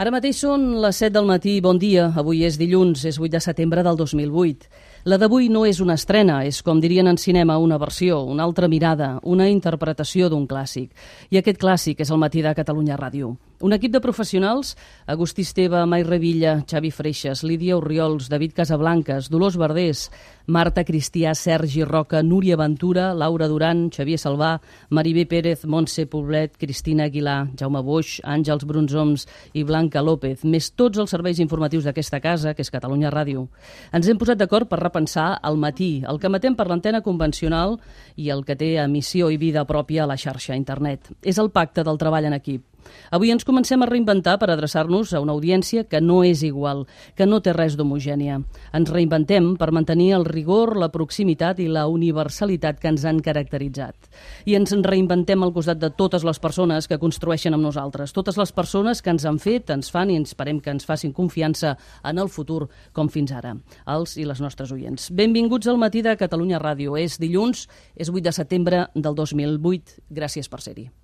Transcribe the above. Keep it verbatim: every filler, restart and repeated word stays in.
Ara mateix són les set del matí. Bon dia. Avui és dilluns, és vuit de setembre del dos mil vuit. La d'avui no és una estrena, és, com dirien en cinema, una versió, una altra mirada, una interpretació d'un clàssic. I aquest clàssic és el Matí de Catalunya Ràdio. Un equip de professionals: Agustí Esteve, Mai Revilla, Xavi Freixas, Lídia Orriols, David Casablancas, Dolors Verdés, Marta Cristià, Sergi Roca, Núria Ventura, Laura Duran, Xavier Salvà, Maribé Pérez, Montse Poblet, Cristina Aguilar, Jaume Boix, Àngels Brunzoms i Blanca López, més tots els serveis informatius d'aquesta casa, que és Catalunya Ràdio. Ens hem posat d'acord per repensar el matí, el que emetem per l'antena convencional i el que té emissió i vida pròpia a la xarxa internet. És el pacte del treball en equip. Avui ens comencem a reinventar per adreçar-nos a una audiència que no és igual, que no té res d'homogènia. Ens reinventem per mantenir el rigor, la proximitat i la universalitat que ens han caracteritzat. I ens reinventem al costat de totes les persones que construeixen amb nosaltres, totes les persones que ens han fet, ens fan i esperem que ens facin confiança en el futur, com fins ara, els i les nostres oients. Benvinguts al Matí de Catalunya Ràdio. És dilluns, és vuit de setembre del dos mil vuit. Gràcies per ser-hi.